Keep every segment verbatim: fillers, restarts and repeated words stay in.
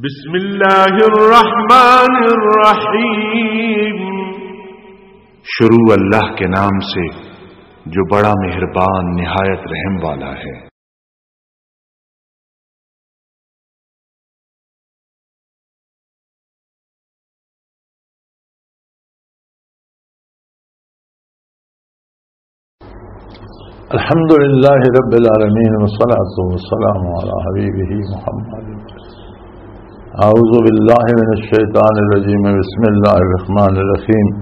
بسم اللہ الرحمن الرحیم۔ شروع اللہ کے نام سے، جو بڑا مہربان، نہایت رحم والا ہے۔ الحمد لله رب العالمين، والصلاة والسلام على حبيبه محمد. أعوذ بالله من الشيطان الرجيم. بسم الله الرحمن الرحيم.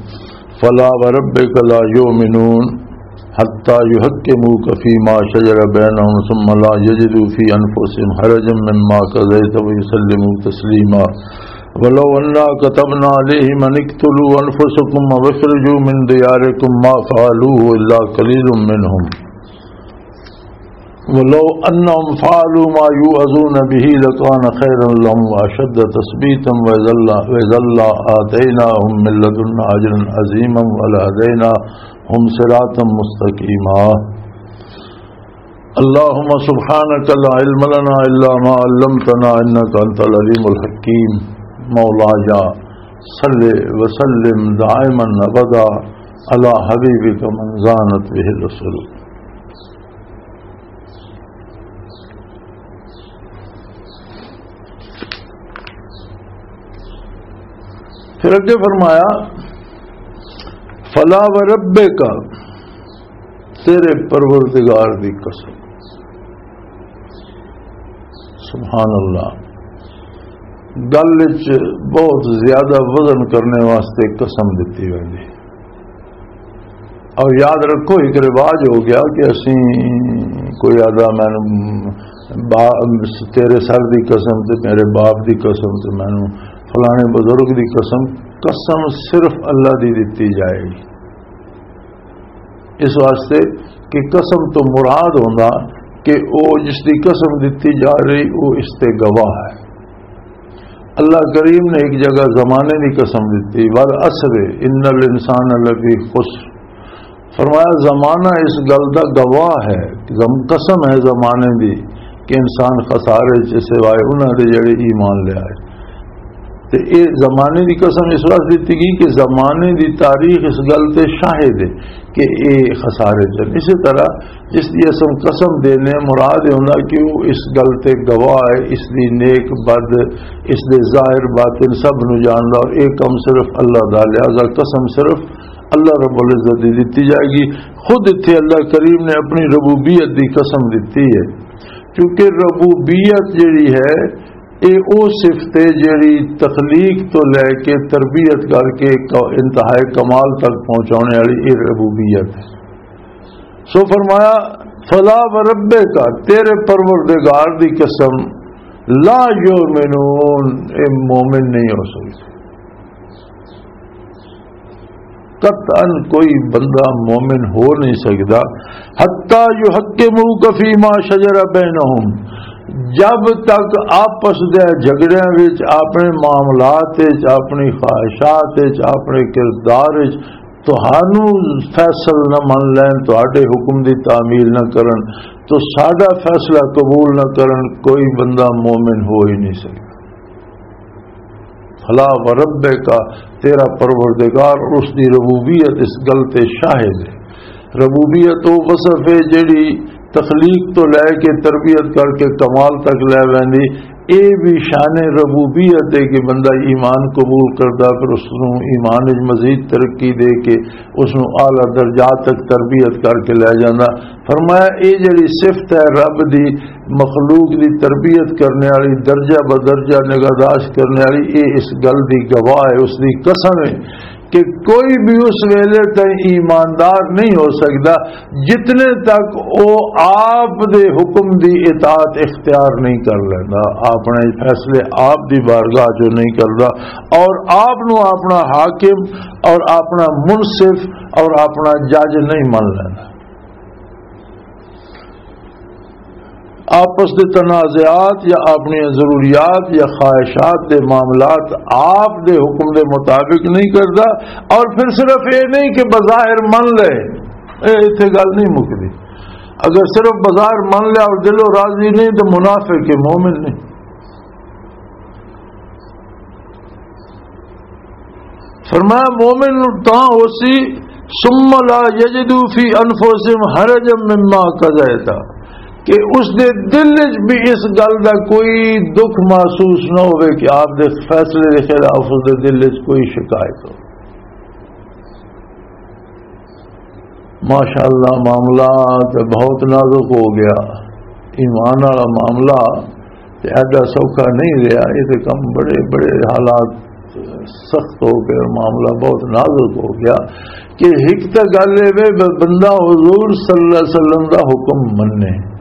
فلا وربك لا يؤمنون حتى يحكموك فيما شجر بينهم ثم لا يجدوا في أنفسهم حرجا مما قضيت ويسلموا تسليما. ولو أنا كتبنا عليهم أن اقتلوا أنفسكم أو اخرجوا من دياركم ما فعلوه إلا قليل منهم. ولو أنهم فعلوا ما يوعظون به لكان خيرا لهم وأشد تثبيتا وإذا لا-، وإذا لآتيناهم من لدنا أجرا عظيما ولهديناهم صراطا مستقيما. اللهم سبحانك لا علم لنا إلا ما علمتنا إنك أنت العليم الحكيم. مولاي صل وسلم دائما أبدا على حبيبك من زانت به الرسل. پھر اگے فرمایا، فلا وربک، تیرے پروردگار دی قسم۔ سبحان اللہ، گل وچ بہت زیادہ وزن کرنے واسطے قسم دتی ویندی۔ اور یاد رکھو، ایک رواج ہو گیا کہ اسی کوئی آدھا، "میں با-، تیرے سر دی قسم تے میرے باپ دی قسم تے مینوں فلانے بزرگ دی قسم۔" قسم صرف اللہ دی دتی جائے گی۔ اس واسطے کہ قسم تو مراد ہوندا کہ او جس دی قسم دتی جا رہی، او اس تے گواہ ہے۔ اللہ کریم نے ایک جگہ زمانے دی قسم دتی، "والعصر ان الانسان لفی خسر۔" فرمایا، زمانہ اس گل دا گواہ ہے، زم-، قسم ہے زمانے دی کہ انسان خسارے چ سوائے انہاں دے جڑے ایمان لے آئے۔ تے اے زمانے دی قسم اس واسطے دتی گئی کہ زمانے دی تاریخ اس گل تے شاہد ہے کہ اے خسارے چ۔ اسی طرح جس دی اسم قسم دینے، مراد اے ہوندا کہ وہ اس گل تے گواہ ہے، اس دی نیک بد، اس دے ظاہر باطن سب نو جاندا، اور اے کم صرف اللہ دا، لہذا قسم صرف اللہ رب العزت دی دتی جائے گی۔ خود اتھے اللہ کریم نے اپنی ربوبیت دی قسم دتی ہے، کیونکہ ربوبیت جڑی ہے، اے او صفت ہے جڑی تخلیق تو لے کے تربیت کر کے ک-، انتہائے کمال تک پہنچانے والی اے ربوبیت ہے۔ سو فرمایا، "فلا وربک"، تیرے پروردگار دی قسم، "لا یؤمنون"، اے مومن نہیں ہو سکتے۔ قطعاً کوئی بندہ مومن ہو نہیں سکدا، "حتی یحکموک فیما شجر بینہم"، جب تک آپس دے جھگڑیاں وچ، اپنے معاملات وچ، اپنی خواہشات وچ، اپنے کردار وچ تہانوں فیصل نہ من لین، تہاڈے حکم دی تعمیل نہ کرن، تو ساڈا فیصلہ قبول نہ کرن، کوئی بندہ مومن ہو ہی نہیں سکدا۔ فلا وربک، تیرا پروردگار، اس دی ربوبیت اس گل تے شاہد ہے۔ ربوبیت او وصف ہے جڑی تخلیق تو لے کے تربیت کر کے کمال تک لے ویندی۔ اے بھی شان ربوبیت ہے کہ بندہ ایمان قبول کردا، پھر اس نوں ایمان وچ مزید ترقی دے کے اس نوں اعلیٰ درجات تک تربیت کر کے لے جاندا۔ فرمایا، اے جڑی صفت ہے رب دی، مخلوق دی تربیت کرنے والی، درجہ بدرجہ نگہداشت کرنے والی، اے اس گل دی گواہ ہے، اس دی قسم ہے کہ کوئی بھی اس ویلے تائیں ایماندار نہیں ہو سکدا جتنے تک او آپ دے حکم دی اطاعت اختیار نہیں کر لیندا، اپنے فیصلے آپ دی بارگاہ چوں نہیں کردا، اور آپ نو اپنا حاکم اور اپنا منصف اور اپنا جج نہیں من لیندا۔ آپس دے تنازعات یا اپنی ضروریات یا خواہشات دے معاملات آپ دے حکم دے مطابق نہیں کردا، اور پھر صرف یہ نہیں کہ بظاہر من لے، اے اتھے گل نہیں مکدی۔ اگر صرف بظاہر من لیا اور دلوں راضی نہیں تو منافق ہے، مومن نہیں۔ فرمایا، مومن تاں ہو سی، ثم لا یجدوا فی انفسہم حرجا مما قضیت، کہ اس دے دل وچ بھی اس گل دا کوئی دکھ محسوس نہ ہوئے کہ آپ دے فیصلے دے خلاف اس دے دل وچ کوئی شکایت ہو۔ ماشاءاللہ، معاملہ تے بہت نازک ہو گیا۔ ایمان والا معاملہ تے ایڈا سوکھا نہیں رہیا۔ یہ تے کم بڑے بڑے حالات سخت ہو گئے، معاملہ بہت نازک ہو گیا۔ کہ ایک تے گل اے وے، ب-، بندہ حضور صلی اللہ علیہ وسلم دا حکم مننے،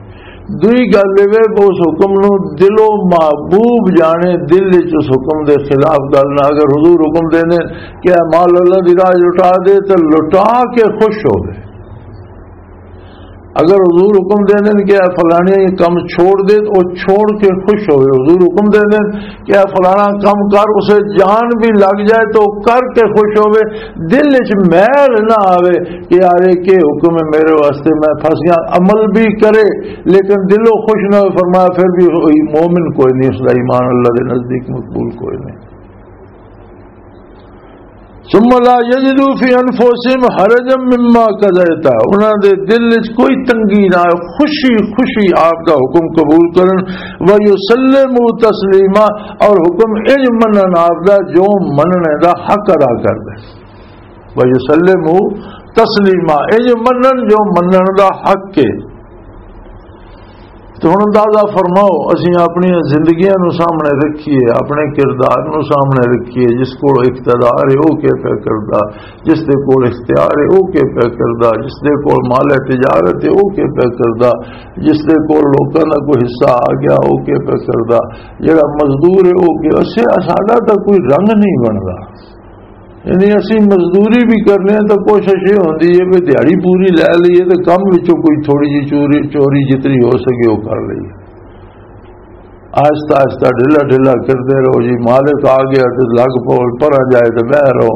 دوئی گل اے وے، اس حکم نو دلوں محبوب جانے، دل وچ اس حکم دے خلاف گل نہ۔ اگر حضور حکم دینے کہ اے مال اللہ دی راہ لٹا دے، تے لٹا کے خوش ہوے۔ اگر حضور حکم دے دین کہ اے فلانے یہ کم چھوڑ دے، تو چھوڑ کے خوش ہوئے۔ حضور حکم دے دین کہ اے فلانا کم کر، اسے جان بھی لگ جائے تو کر کے خوش ہوئے، دل وچ میل نہ آوے کہ یار، یہ کہ حکم ہے میرے واسطے، میں پھنس گیا۔ عمل بھی کرے لیکن دلوں خوش نہ ہوئے۔ فرمایا، پھر بھی وہی مومن کوئی نہیں، اس دا ایمان اللہ دے نزدیک مقبول کوئی نہیں۔ ثم لا یجدوا فی انفسہم حرجا مما قضیت، انہاں دے دل وچ کوئی تنگی نہ آئے، خوشی خوشی آپ دا حکم قبول کرن، ویسلموا تسلیما، اور حکم انج منن آپ دا جو مننے دا حق ادا کر دے۔ ویسلموا تسلیما، انج منن جو منن دا حق ہے۔ تو ہن اندازہ فرماؤ، اسی اپنی زندگیاں نو سامنے رکھیے، اپنے کردار نو سامنے رکھیے، جس کول اقتدار ہے، او کی پیا کردا، جس دے کول اختیار ہے، او کی پیا کردا، جس دے کول مال تجارت ہے، او کی پیا کردا، جس دے کول لوکاں دا کوئی حصہ آ گیا، او کی پیا کردا، جڑا مزدور ہے، او کی، اسے، ساڈا تاں کوئی رنگ نہیں بندا۔ یعنی اسی مزدوری بھی کرنے ہیں تو کوشش یہ ہوندی ہے کہ دیہاڑی پوری لے لئیے تو کم وچوں کوئی تھوڑی جی چوری، چوری جتنی ہو سکے وہ کر لئیے۔ آہستہ آہستہ، ڈھلا ڈھلا کرتے رہو جی، مالک آ گیا تو لگ پو، پرا جائے تو بہ رہو۔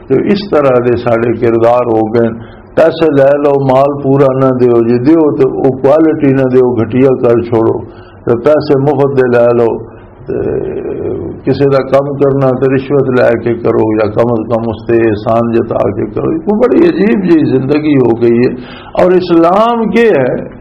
تو اس طرح دے سارے کردار ہو گئے۔ پیسے لے لو، مال پورا نہ دیو جی، دیو تو وہ کوالٹی نہ دیو، گھٹیا کر چھوڑو۔ تو پیسے مفت دے لے لو، تے کسے دا کم کرنا تے رشوت لے کے کرو، یا کم از کم اس تے احسان جتا کے کرو۔ یہ بڑی عجیب جی زندگی ہو گئی ہے۔ اور اسلام کیا ہے؟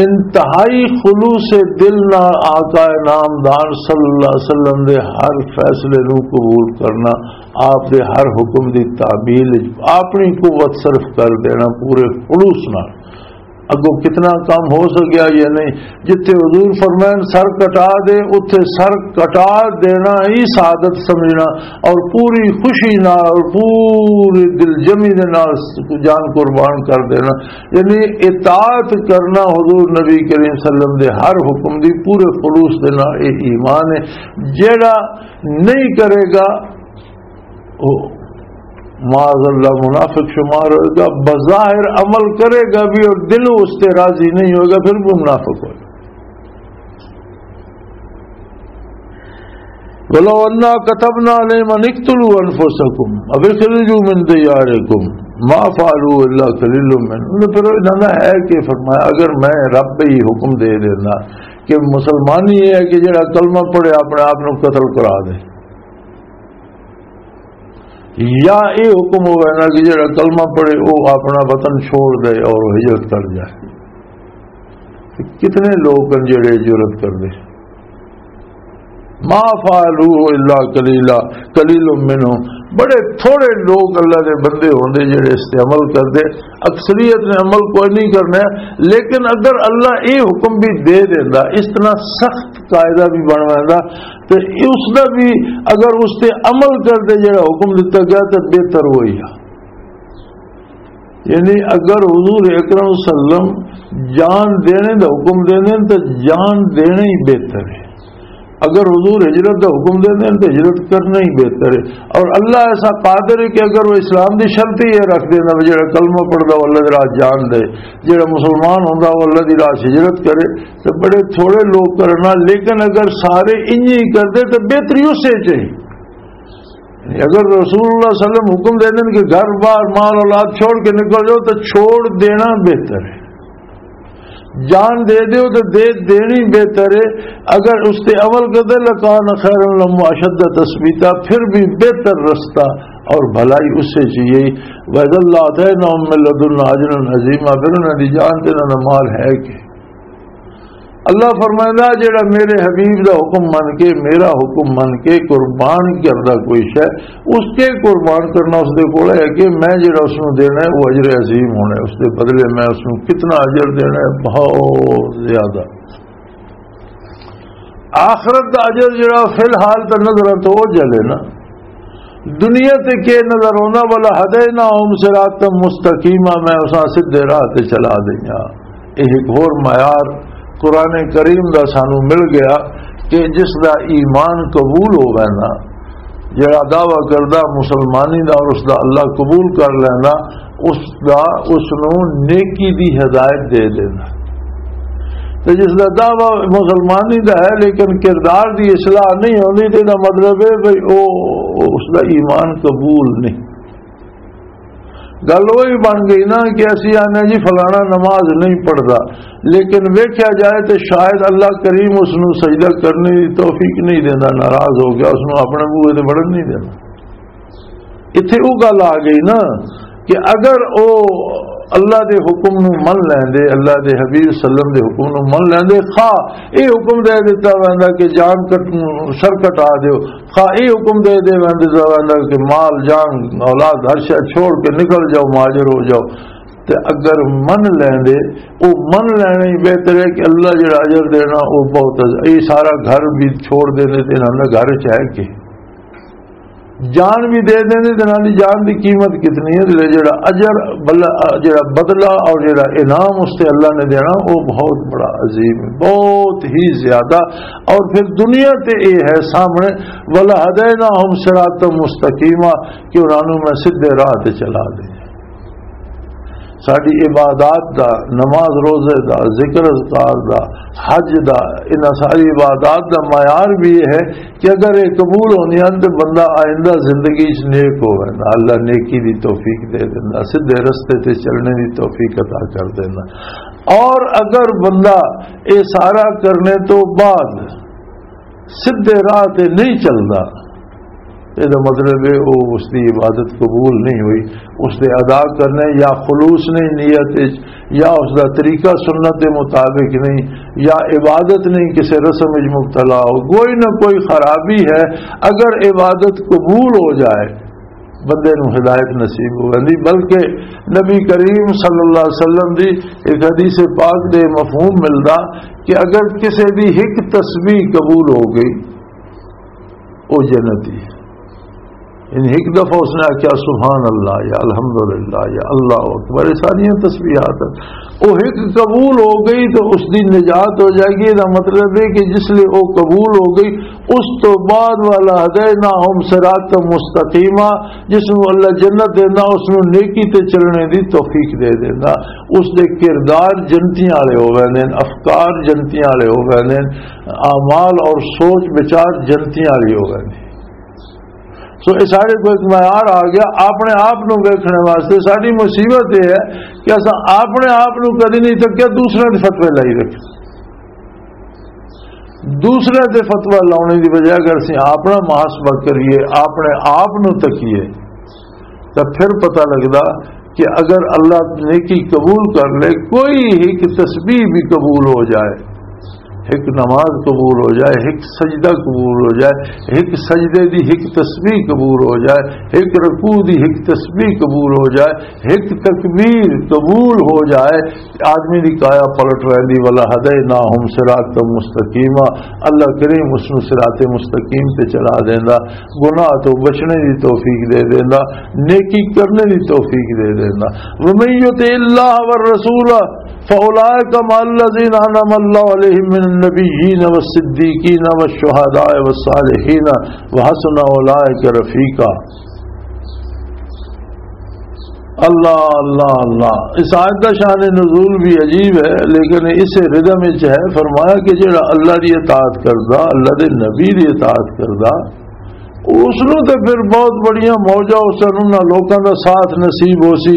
انتہائی خلوص دل نال آقا نامدار صلی اللہ علیہ وسلم دے ہر فیصلے نو قبول کرنا، آپ دے ہر حکم دی تعمیل وچ اپنی قوت صرف کر دینا پورے خلوص نال۔ اگوں کتنا کم ہو سکیا یا نہیں۔ جتھے حضور فرمائن سر کٹا دے، اتھے سر کٹا دینا ہی سعادت سمجھنا، اور پوری خوشی نال اور پوری دلجمی دے نال جان قربان کر دینا، یعنی اطاعت کرنا حضور نبی کریم صلی اللہ علیہ وسلم دے ہر حکم دی پورے خلوص دے نال۔ اے ایمان ہے۔ جیڑا نہیں کرے گا، او معاذ اللہ منافق شمار ہوئے گا۔ بظاہر عمل کرے گا بھی اور دل اس سے راضی نہیں ہوگا، پھر بھی منافق ہوگا۔ ولو انا كتبنا عليهم ان اقتلوا انفسكم او اخرجوا من دياركم ما فعلوه الا قليل منهم۔ انہوں نے پھر انہوں نے ہے کہ فرمایا، اگر میں رب ہی حکم دے دینا کہ مسلمانی یہ ہے کہ جڑا کلمہ پڑھے اپنے آپ نو قتل کرا دے، یا یہ حکم ہوئے نا کہ جڑا کلمہ پڑھے وہ اپنا وطن چھوڑ دے اور ہجرت کر جائے، تو کتنے لوگ ہیں جڑے ہجرت کر دے؟ ما فعلوه الا قليلا، قليل منهم، بڑے تھوڑے لوگ اللہ دے بندے ہوندے جڑے اس تے عمل کردے، اکثریت نے عمل کوئی نہیں کرنا ہے۔ لیکن اگر اللہ یہ حکم بھی دے دیندا، اس طرح سخت قاعدہ بھی بن ویندا، تے اس دا بھی اگر اس تے عمل کردے جڑا حکم دتا گیا تے بہتر ہوئی آ۔ یعنی اگر حضور اکرم صلی اللہ علیہ وسلم جان دینے دا حکم دینے تو جان دینا ہی بہتر ہے۔ اگر حضور ہجرت دا حکم دینے تو ہجرت کرنا ہی بہتر ہے۔ اور اللہ ایسا قادر ہے کہ اگر وہ اسلام دی شرط ہی یہ رکھ دینا، جڑا کلمہ پڑھدا وہ اللہ دی راہ جان دے، جڑا مسلمان ہوندا وہ اللہ دی راہ ہجرت کرے، تو بڑے تھوڑے لوگ کرنا۔ لیکن اگر سارے انج ہی کردے تو بہتری اسے چ ہی۔ اگر رسول اللہ صلی اللہ علیہ وسلم حکم دے دین کہ گھر بار مال اولاد چھوڑ کے نکل جاؤ، تو چھوڑ دینا بہتر ہے۔ جان دے دیو تے دے دینی بہتر ہے۔ اگر اس تے عمل کردے، لکان خیر لہم اشد تثبیتا، پھر بھی بہتر رستہ اور بھلائی اس سے چاہیے۔ وَإِذًا لَّآتَيْنَاهُم مِّن لَّدُنَّا أَجْرًا عَظِيمًا، پھر انہاں دی جان تے انہاں دا مال ہے کہ اللہ فرمائندا، جڑا میرے حبیب دا حکم من کے، میرا حکم من کے قربان کردا کوئی شے، اس کے قربان کرنا اس دے کول ہے کہ میں جڑا اس نوں دینا ہے، وہ اجر عظیم ہونا ہے۔ اس دے بدلے میں اس نوں کتنا اجر دینا ہے؟ بہت زیادہ۔ آخرت دا اجر جڑا فی الحال تے نظراں تو اوجھل ہے نا، دنیا تے کے نظر آوندا؟ وَلَهَدَيْنَاهُمْ صِرَاطًا مُسْتَقِيمًا، میں اساں سیدھے راہ تے چلا دیاں۔ یہ ایک ہور معیار قرآن کریم دا سانو مل گیا کہ جس دا ایمان قبول ہووے نا، جڑا دعویٰ کردا مسلمانی دا اور اس دا اللہ قبول کر لینا، اس دا، اس نوں نیکی دی ہدایت دے دینا۔ تے جس دا دعویٰ مسلمانی دا ہے لیکن کردار دی اصلاح نہیں ہوندی، تے دا مطلب ہے بھئی او، اس دا ایمان قبول نہیں۔ گل وہی بن گئی نا کہ اسی آنے جی فلانا نماز نہیں پڑھدا، لیکن ویکھیا جائے تے شاید اللہ کریم اس نوں سجدہ کرنے دی توفیق نہیں دیندا، ناراض ہو گیا، اس نوں اپنے بوئے تے وڑن نہیں دینا۔ اتھے او گل آ گئی نا کہ اگر او اللہ دے حکم نو من لیندے، اللہ دے حبیب صلی اللہ علیہ وسلم دے حکم نو من لیندے، خواہ اے حکم دے دیتا ویندا کہ جان کٹ، سر کٹا دیو، خواہ اے حکم دے دے ویندا کہ مال، جان، اولاد، ہر شے چھوڑ کے نکل جاؤ، مہاجر ہو جاؤ، تے اگر من لیندے، او من لینا ہی بہتر ہے کہ اللہ جڑا اجر دینا، او بہت ہے۔ اے سارا گھر بھی چھوڑ دیندے تے انہاں دے گھر چ ہے کہ جان بھی دے دیندے تے انہاں دی جان دی قیمت کتنی ہے، تے جڑا اجر، بل-، جڑا بدلہ اور جڑا انعام اس تے اللہ نے دینا، وہ بہت بڑا عظیم ہے، بہت ہی زیادہ۔ اور پھر دنیا تے اے ہے سامنے، وَلَهَدَيْنَاهُمْ صِرَاطًا مُسْتَقِيمًا، کہ انہاں نوں میں سیدھے راہ تے چلا دے۔ ساڈی عبادات دا، نماز روزے دا، ذکر اذکار دا، حج دا، انہاں ساری عبادات دا معیار بھی یہ ہے کہ اگر یہ قبول ہوندیاں تے بندہ آئندہ زندگی وچ نیک ہووے نا، اللہ نیکی دی توفیق دے دیندا، سیدھے رستے تے چلنے دی توفیق عطا کر دیندا۔ اور اگر بندہ یہ سارا کرنے تو بعد سیدھے راہ تے نہیں چلدا، یہ دا مطلب ہے وہ اس دی عبادت قبول نہیں ہوئی، اس دے ادا کرنے یا خلوص نہیں نیت وچ، یا اس دا طریقہ سنت دے مطابق نہیں، یا عبادت نہیں، کسے رسم وچ مبتلا ہو، کوئی نہ کوئی خرابی ہے۔ اگر عبادت قبول ہو جائے، بندے نوں ہدایت نصیب ہو ویندی۔ بلکہ نبی کریم صلی اللہ علیہ وسلم دی ایک حدیث پاک دے مفہوم ملدا کہ اگر کسے دی ایک تسبیح قبول ہو گئی، او جنتی ہے۔ یعنی ایک دفعہ اس نے آکھیا، "سبحان اللہ" یا "الحمدللہ" یا "اللہ اکبر"، یہ ساری تسبیحات ہیں۔ وہ ایک قبول ہو گئی تو اس دی نجات ہو جائے گی۔ یہ مطلب ہے کہ جس لئے وہ قبول ہو گئی، اس تو بعد وَلَهَدَيْنَاهُمْ صِرَاطًا مُسْتَقِيمًا، جس نوں اللہ جنت دیندا، اس نوں نیکی تے چلنے دی توفیق دے دیندا۔ اس دے کردار جنتیاں والے ہو ویندے نے، افکار جنتیاں والے ہو ویندے نے، اعمال اور سوچ وچار جنتیاں والی ہو ویندے۔ سو یہ سارے کو ایک معیار آ گیا اپنے آپ نو ویکھنے واسطے۔ ساری مصیبت یہ ہے کہ اساں اپنے آپ نو کدی نہیں تکیا، دوسرے دے فتوے لائی رکھے۔ دوسرے دے فتوی لاؤنے دی بجائے اگر اسیں اپنا محاسبہ کریے، اپنے آپ نو تکیے، تو پھر پتہ لگدا کہ اگر اللہ نیکی قبول کر لے، کوئی ایک تسبیح بھی قبول ہو جائے، ایک نماز قبول ہو جائے، ایک سجدہ قبول ہو جائے، ایک سجدے دی ایک تسبیح قبول ہو جائے، ایک رکوع دی ایک تسبیح قبول ہو جائے، ایک تکبیر قبول ہو جائے، آدمی دی کایا پلٹ رہندی۔ وَلَهَدَيْنَاهُمْ صِرَاطًا مُسْتَقِيمًا، اللہ کریم اس نو صراط مستقیم تے چلا دیندا، گناہ تو بچنے دی توفیق دے دیندا، نیکی کرنے دی توفیق دے دیندا۔ وَمَن يُطِعِ اللَّهَ وَالرَّسُولَ فَأُولَٰئِكَ مَعَ الَّذِينَ أَنْعَمَ اللَّهُ عَلَيْهِمْ مِنَ النَّبِيِّينَ وَالصِّدِّيقِينَ وَالشُّهَدَاءِ وَالصَّالِحِينَ وَحَسُنَ أُولَٰئِكَ رَفِيقًا۔ اللہ، اللہ، اللہ۔ اس آیت دا شان نزول بھی عجیب ہے، لیکن اسے ردم وچ ہے۔ فرمایا کہ جڑا اللہ دی اطاعت کردا، اللہ دے نبی دی اطاعت کردا، اس نوں تے پھر بہت بڑیاں موجاں، اس نوں نہ لوکاں دا ساتھ نصیب ہو سی،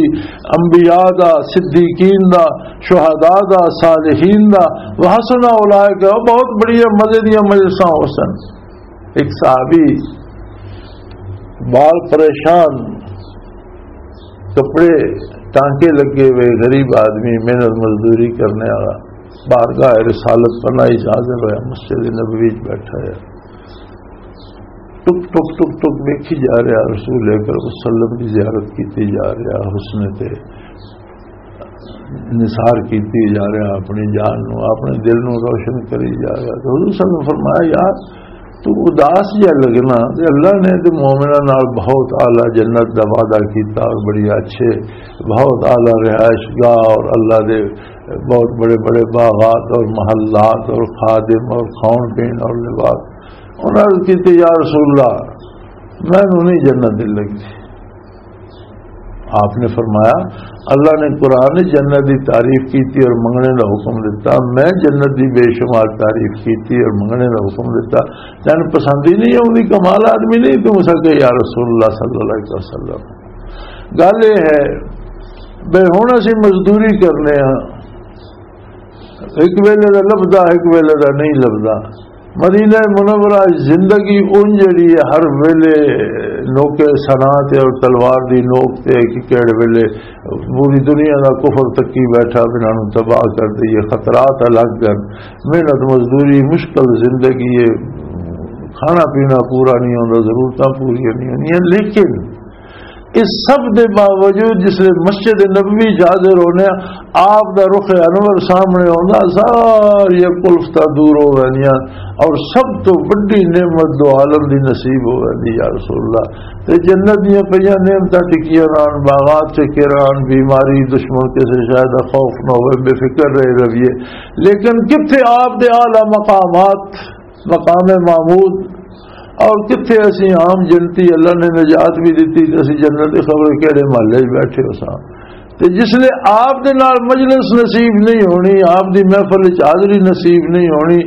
انبیاء دا، صدیقین دا، شہداء دا، صالحین دا، وحسن اولئک، بہت بڑیاں مزے دیاں مجلساں ہو سن۔ ایک صحابی، بال پریشان، کپڑے ٹانکے لگے ہوئے، غریب آدمی، محنت مزدوری کرنے والا، بارگاہ رسالت پناہی حاضر ہویا، مسجد نبوی وچ بیٹھا ہے۔ ٹک ٹک ٹک ٹک ویکھی جا رہا، رسول اکرم صلی اللہ علیہ وسلم کی زیارت کیتی جا رہا، حسن تے نثار کیتی جا رہا، اپنی جان نو، اپنے دل نو روشن کری جا رہا۔ تو حضور صلی اللہ علیہ وسلم فرمایا، یار، تو اداس جا لگنا، تے اللہ نے تے مومناں نال بہت اعلیٰ جنت دا وعدہ کیتا اور بڑی اچھے، بہت اعلیٰ رہائش گاہ اور اللہ دے بہت بڑے بڑے باغات اور محلات اور خادم اور کھاؤن پین اور لباس۔ انہاں عرض کیتی، یا رسول اللہ، مینوں نہیں جنت دل لگدی۔ آپ نے فرمایا، اللہ نے قرآن وچ جنت دی تعریف کیتی اور منگنے دا حکم دتا، میں جنت دی بے شمار تعریف کیتی اور منگنے دا حکم دتا، تینوں پسند ہی نہیں آؤندی، کمال آدمی نہیں توں؟ اساں کہ یا رسول اللہ صلی اللہ علیہ وسلم، گل یہ ہے بھئی ہن اسی مزدوری کرنے ہاں، ایک ویلے دا لبدا، ایک ویلے دا نہیں لبدا۔ مدینہ منورہ وچ زندگی اون جڑی ہے، ہر ویلے نوکے سنا تے اور تلوار دی نوک تے کہ کہڑے ویلے پوری دنیا دا کفر تکی بیٹھا، انہاں نوں تباہ کر دئیے، خطرات الگ ہن، محنت مزدوری، مشکل زندگی ہے، کھانا پینا پورا نہیں ہوندا، ضرورتاں پوریاں نہیں ہوندیاں، لیکن اس سب دے باوجود جس لے مسجد نبوی چ حاضر ہونے آ، آپ دا رخ انور سامنے ہوندا، ساری کلفتاں دور ہو ویندیاں اور سب تو وڈی نعمت دو عالم دی نصیب ہو ویندی، یا رسول اللہ۔ تے جنت دیاں پئیاں نعمتاں ٹکیاں رہن، باغات ٹکے رہن، بیماری، دشمن کسے شے دا خوف نہ ہوئے، بے فکر رہے رویے، لیکن کتھے آپ دے اعلیٰ مقامات، مقام محمود، اور کتھے اسی عام جنتی، اللہ نے نجات بھی دتی تے اسی جنت دے خبر کہڑے محلے وچ بیٹھے ہو ساں۔ تے جس لے آپ دے نال مجلس نصیب نہیں ہونی، آپ دی محفل وچ حاضری نصیب نہیں ہونی،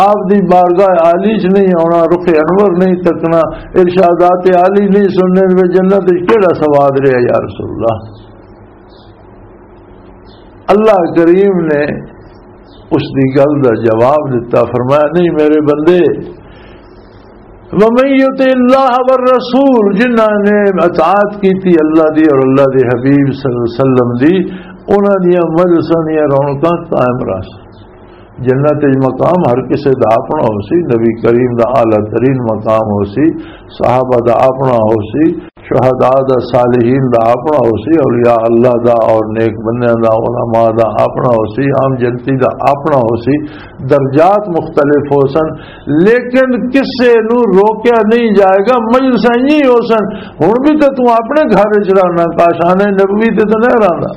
آپ دی بارگاہ عالی وچ نہیں آنا، رخ انور نہیں تکنا، ارشادات عالی نہیں سننے، تے جنت وچ کیڑا سواد رہیا یا رسول اللہ؟ اللہ کریم نے اس دی گل دا جواب دتا، فرمایا، نہیں میرے بندے، وَمَن يُطِعِ اللَّهَ وَالرَّسُولَ، جنہاں نے اطاعت کیتی اللہ دی اور اللہ دے حبیب صلی اللہ علیہ وسلم دی، انہاں دیاں مجلساں دیاں رونقاں قائم رہسن۔ جنت وچ مقام ہر کسے دا اپنا ہو سی، نبی کریم دا اعلیٰ ترین مقام ہو سی، صحابہ دا اپنا ہو سی، شہداء دا، صالحین دا اپنا ہو سی، اولیاء اللہ دا اور نیک بندیاں دا، علماء دا اپنا ہو سی، عام جنتی دا اپنا ہو سی۔ درجات مختلف ہو سن، لیکن کسے نو روکیا نہیں جائے گا۔ مجلساں ہی ہو سن، ہن بھی تے تو اپنے گھر وچ رہنا، کاشانہ نبوی تے تو نہیں رہنا۔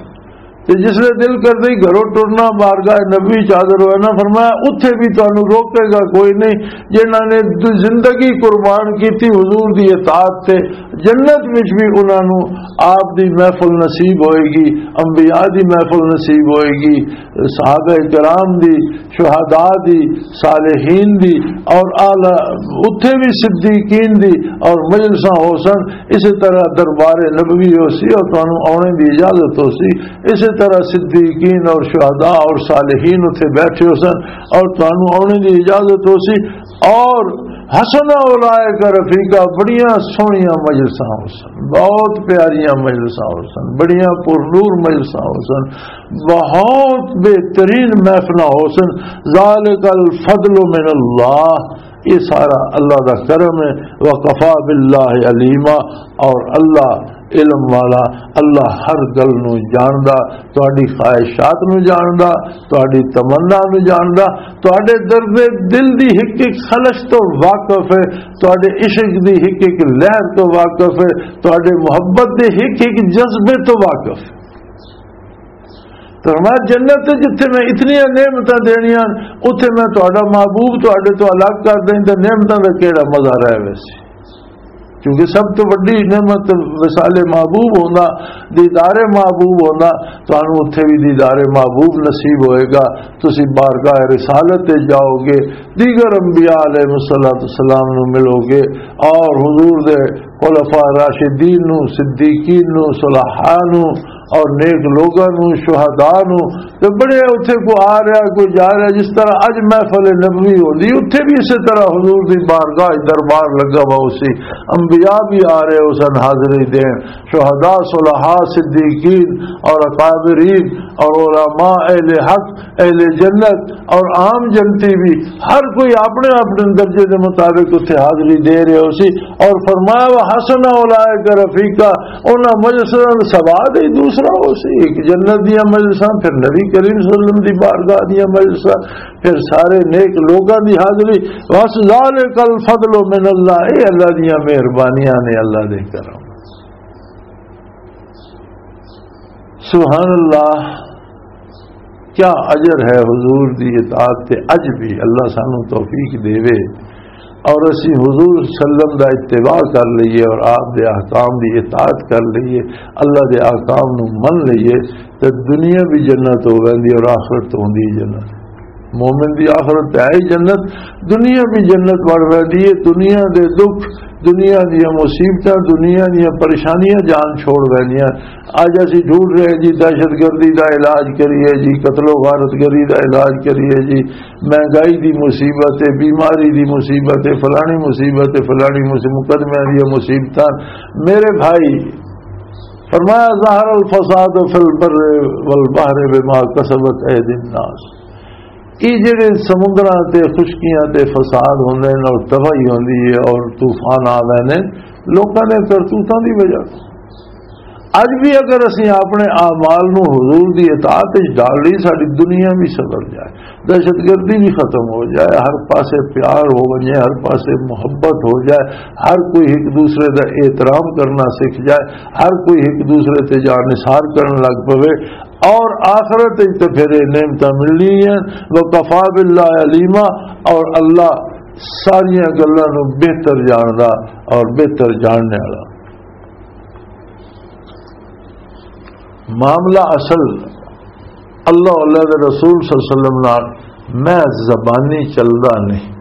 تے جس لے دل کردا ہی گھروں ٹرنا، بارگاہ نبوی چ حاضر ہونا، فرمایا، اتھے بھی تانوں روکے گا کوئی نہیں۔ جنہاں نے د-، زندگی قربان کیتی حضور دی اطاعت تے، جنت وچ بھی انہاں نوں آپ دی محفل نصیب ہوئے گی، انبیاء دی محفل نصیب ہوئے گی، صحابہ کرام دی، شہداء دی، صالحین دی، اور اعلی اتھے بھی صدیقین دی اور مجلساں ہو سن۔ اسی طرح دربار نبوی ہو سی اور تانوں آنے دی اجازت ہو سی۔ اسی طرح صدیقین اور شہداء اور صالحین اتھے بیٹھے ہو سن اور تانوں آنے دی اجازت ہو سی۔ اور حسن اولائک رفیقا، بڑیاں سوہنیاں مجلساں ہو سن، بہت پیاریاں مجلساں ہو سن، بڑیاں پر نور مجلساں ہو سن، بہت بہترین محفلاں ہو سن۔ ذالک الفضل من اللہ، یہ سارا اللہ دا کرم ہے۔ وکفی باللہ علیما، اور اللہ علم والا، اللہ ہر گل نو جاندا، تہاڈی خواہشات نو جاندا، تہاڈی تمنا نو جاندا، تہاڈے درد دل دی ہک ہک خلش تو واقف ہے، تہاڈے عشق دی ہک ہک لہر تو واقف ہے، تہاڈے محبت دے ہک ہک جذبے تو واقف ہے۔ تو فرمایا، جنت تے جتھے میں اتنی نعمتاں دینیاں، اتھے میں تہاڈا محبوب تہاڈے تو الگ کر دیں تے نعمتاں دا کیڑا مزہ رہ ویسی؟ کیونکہ سب تو وڈی نعمت وصال محبوب ہونا، دیدار محبوب ہونا۔ تانوں اتھے بھی دیدار محبوب نصیب ہوئے گا۔ تسی بارگاہ رسالت تے جاؤ گے، دیگر انبیاء علیہ الصلوۃ والسلام نو ملو گے، اور حضور دے خلفاء راشدین نو، صدیقین نو، صلحاء نو، اور نیک لوگاں نو، شہداء نو۔ تے بڑے اتھے کو آ رہا، کوئی جا رہا، جس طرح اج محفل نبوی ہوندی، اتھے بھی اسی طرح حضور دی بارگاہ، دربار لگا ہوا اسی، انبیاء بھی آ رہے، اس حاضری دین، شہداء، صلحاء، صدیقین اور اکابرین اور علماء، اہل حق، اہل جنت اور عام جنتی بھی، ہر کوئی اپنے اپنے درجے دے مطابق اتھے حاضری دے رہے ہو سی۔ اور فرمایا، "وحسن اولئک رفیقا"، انہاں مجلساں دا سواد ہی دوسرا ہو سی۔ ایک جنت دیاں مجلساں، پھر نبی کریم صلی اللہ علیہ وسلم دی بارگاہ دیاں مجلساں، پھر سارے نیک لوگاں دی حاضری۔ "وس ذالک الفضل من اللہ"، اے اللہ دیاں مہربانیاں نے، اللہ دے کرم۔ سبحان اللہ، کیا اجر ہے حضور دی اطاعت تے۔ اج بھی اللہ سانو توفیق دیوے اور اسی حضور صلی اللہ علیہ وسلم دا اتباع کر لئیے اور آپ دے احکام دی اطاعت کر لئیے، اللہ دے احکام نو من لئیے، تے دنیا بھی جنت ہو ویندی اور آخرت تو ہوندی جنت۔ مومن دی آخرت تے آئی جنت، دنیا بھی جنت بن ویندی ہے۔ دنیا دے دکھ، دنیا دیاں مصیبتاں، دنیا دیاں پریشانیاں جان چھوڑ ویندیاں۔ اج اسی ڈھونڈ رہے ہیں جی، دہشت گردی دا علاج کریے جی، قتل و غارت گری دا علاج کریے جی، مہنگائی دی مصیبت ہے، بیماری دی مصیبت ہے، فلانی مصیبت ہے، فلانی مصیبت، مقدمے دی مصیبتاں۔ میرے بھائی، فرمایا، "ظہر الفساد فی البر والبحر بما کسبت ایدی الناس۔" یہ جڑے سمندراں تے خشکیاں تے فساد ہوندے نے اور تباہی ہوندی ہے اور طوفان آ ویندے نے، لوکاں نے کرتوتاں دی وجہ تو۔ اج بھی اگر اسی اپنے اعمال نو حضور دی اطاعت وچ ڈال لئی، ساری دنیا بھی سدر جائے، دہشت گردی بھی ختم ہو جائے، ہر پاسے پیار ہو ونجے، ہر پاسے محبت ہو جائے، ہر کوئی ایک دوسرے دا احترام کرنا سکھ جائے، ہر کوئی ایک دوسرے تے جان نثار کرن لگ پوے، اور آخرت وچ تے پھر یہ نعمتاں ملنی ہیں۔ وَكَفَىٰ بِاللَّهِ عَلِيمًا، اور اللہ ساریاں گلاں نوں بہتر جاندا اور بہتر جاننے والا۔ معاملہ اصل اللہ، اللہ دے رسول صلی اللہ علیہ وسلم نال میں زبانی چلدا نہیں۔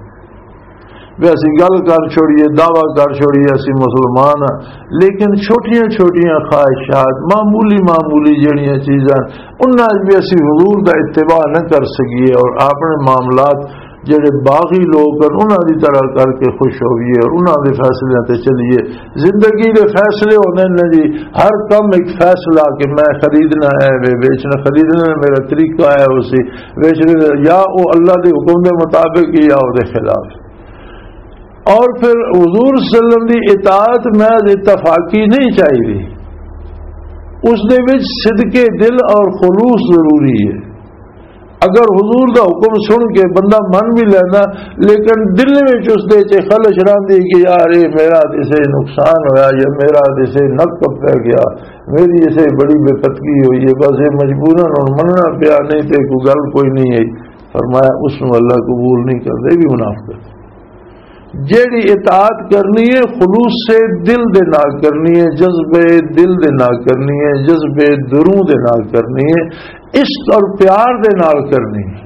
وی اسی گل کر چھوڑیے، دعویٰ کر چھوڑیے، اسی مسلمان ہاں، لیکن چھوٹیاں چھوٹیاں خواہشات، معمولی معمولی جڑیاں چیزاں، انہاں وچ بھی اسی حضور دا اتباع نہ کر سکیے اور اپنے معاملات جڑے باغی لوگ ہیں، انہاں دی طرح کر کے خوش ہوئیے اور انہاں دے فیصلے تے چلیے۔ زندگی دے فیصلے ہوندے نے جی، ہر کم ایک فیصلہ کہ میں خریدنا ہے، وے بیچنا، خریدنا ہے، میرا طریقہ ہے اسی بیچنے دا، یا او اللہ دے حکم دے مطابق یا او دے خلاف۔ اور پھر حضور صلی اللہ علیہ وسلم دی اطاعت محض اتفاقی نہیں چاہیے، اس دے وچ صدق دل اور خلوص ضروری ہے۔ اگر حضور دا حکم سن کے بندہ من بھی لینا، لیکن دل وچ اس دے چے خلش رہندی کہ یار، اے میرا تے سے نقصان ہویا یا میرا تے سے نک پہ گیا، میری اسے بڑی بے پتگی ہوئی ہے، بس یہ مجبوراً ہن مننا پیا، نہیں تے کوئی گل کوئی نہیں ہے۔ فرمایا، اس نو اللہ قبول نہیں کردا، یہ بھی منافقت۔ جیڑی اطاعت کرنی ہے، خلوص دل دے نال کرنی ہے، جذبے دل دے نال کرنی ہے، جذبے دروں دے نال کرنی ہے، عشق اور پیار دے نال کرنی ہے۔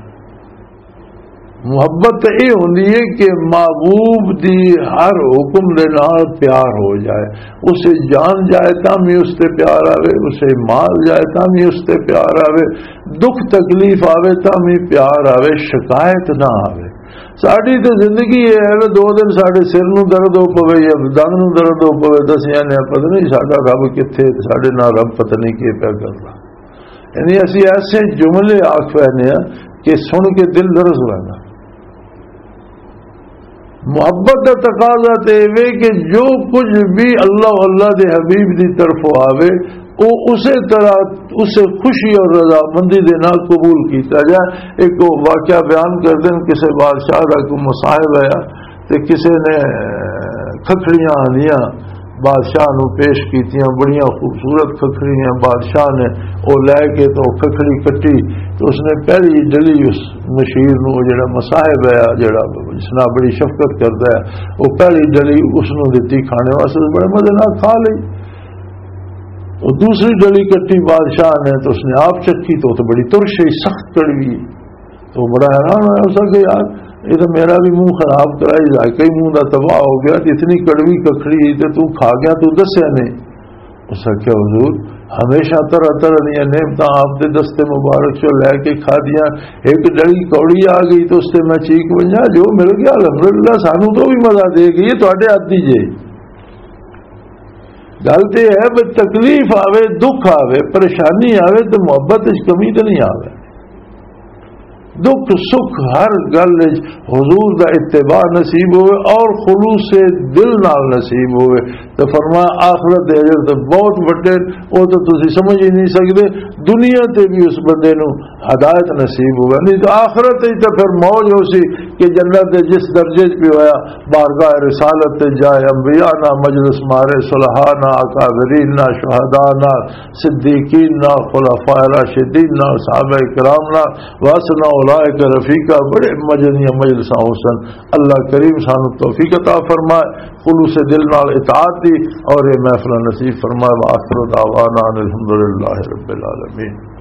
محبت تے اے ہوندی ہے کہ محبوب دی ہر حکم دے نال پیار ہو جائے، اسے جان جائے تاں بھی اس تے پیار آوے، اسے مال جائے تاں بھی اس تے پیار آوے، دکھ تکلیف آوے تاں بھی پیار آوے، شکایت نہ آوے۔ ساڈی تے زندگی اے ہے وے، دو دن ساڈے سر نوں درد ہو پوے یا دند نوں درد ہو پوے، دسیاں نے پتہ نہیں ساڈا رب کتھے، ساڈے نال رب پتہ نہیں کی پیا کردا۔ یعنی اسی ایسے جملے آکھ پینے ہاں کہ سن کے دل لرز ویندا۔ محبت دا تقاضا تے ایویں کہ جو کچھ بھی اللہ، اللہ دے حبیب دی طرفوں آوے، او اسے طرح، اسے خوشی اور رضامندی دے نال قبول کیتا جائے۔ ایک واقعہ بیان کر دیں، کسے بادشاہ دا کوئی مصائب آیا تے کسے نے کھکھڑیاں آندیاں بادشاہ نو پیش کیتیاں، بڑیاں خوبصورت ککھڑیاں۔ بادشاہ نے او لے کے تو ککھڑی کٹی، تو اس نے پہلی ڈلی اس مشیر نو، جڑا مصاحب ہے، جڑا جس نال بڑی شفقت کردا ہے، وہ پہلی ڈلی اس نو دتی کھانے واسطے، بڑے مزے نال کھا لئی۔ وہ دوسری ڈلی کٹی بادشاہ نے، تو اس نے آپ چکھی، تو وہ تو بڑی ترش ہے، سخت کڑوی۔ تو بڑا حیران ہویا، اس نے کہ یار، یہ تو میرا بھی منہ خراب کرائی، ذائقہ ہی منہ دا تباہ ہو گیا، تے اتنی کڑوی ککھڑی تے تو کھا گیا، تو دسیا نہیں۔ اس نے کہا، حضور، ہمیشہ طرح طرح دیا نعمتاں آپ دے دستے مبارک چوں لے کے کھا دیا، ایک ڈلی کوڑی آ گئی تو اس تے میں چیک ونجا، جو مل گیا الحمدللہ، سانو تو بھی مزہ دے گئی، یہ تواڈے ہاتھ دی جے۔ گل تے ہے بھی تکلیف آوے، دکھ آوے، پریشانی آوے تے محبت وچ کمی تے نہیں آوے۔ دکھ سکھ ہر گل وچ حضور دا اتباع نصیب ہوئے اور خلوص دل نال نصیب ہوئے۔ تے فرمایا، آخرت دے اجر تے بہت وڈے، او تے تسی سمجھ ہی نہیں سکدے۔ دنیا تے بھی اس بندے نو ہدایت نصیب ہوئے، نہیں تے آخرت وچ تے پھر موج ہو سی کہ جنت دے جس درجے وچ بھی ہویا، بارگاہ رسالت تے جائے، انبیاء نال مجلس مارے، صلحاء نال، اکابرین نال، شہداء نال، صدیقین نال، خلفاء راشدین نال، صحابہ کرام نال، واسنا اولئک رفیقا، بڑے مزے دیاں مجلساں ہو سن۔ اللہ کریم سانو توفیق عطا فرمائے خلوص دل نال اطاعت دی، اور یہ محفل نصیب فرمائے۔ وآخر دعوانا ان الحمدللہ رب العالمین۔